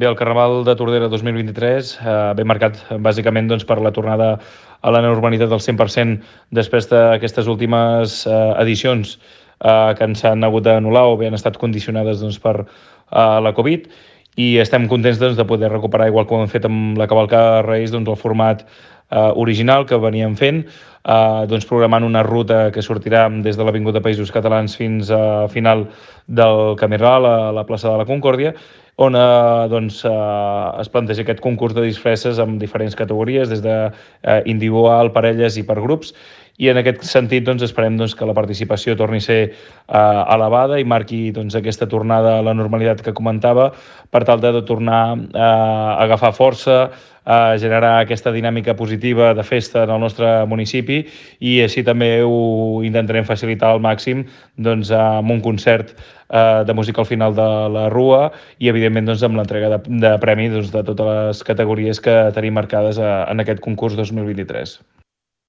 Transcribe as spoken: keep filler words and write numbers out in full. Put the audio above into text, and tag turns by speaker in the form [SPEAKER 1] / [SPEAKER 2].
[SPEAKER 1] Bé, el Carnaval de Tordera dos mil vint-i-tres eh, ve marcat bàsicament doncs, per la tornada a la normalitat del cent per cent després d'aquestes últimes eh, edicions eh, que ens han hagut d'anul·lar o bé han estat condicionades doncs, per eh, la Covid, i estem contents doncs, de poder recuperar, igual com hem fet amb la cavalcada de Reis, doncs, el format eh, original que veníem fent, eh, doncs, programant una ruta que sortirà des de l'Avinguda Països Catalans fins a final del Camí Ral, a la plaça de la Concòrdia, on eh, doncs, eh, es planteja aquest concurs de disfresses amb diferents categories, des de eh, individual, parelles i per grups, i en aquest sentit doncs, esperem doncs, que la participació torni a ser eh, elevada i marqui doncs, aquesta tornada a la normalitat que comentava, per tal de, de tornar eh, a agafar força, a generar aquesta dinàmica positiva de festa en el nostre municipi, i així també ho intentarem facilitar al màxim doncs, amb un concert eh, de música al final de la Rua i, evidentment, doncs, amb l'entrega de, de premis doncs, de totes les categories que tenim marcades a, en aquest concurs dos mil vint-i-tres.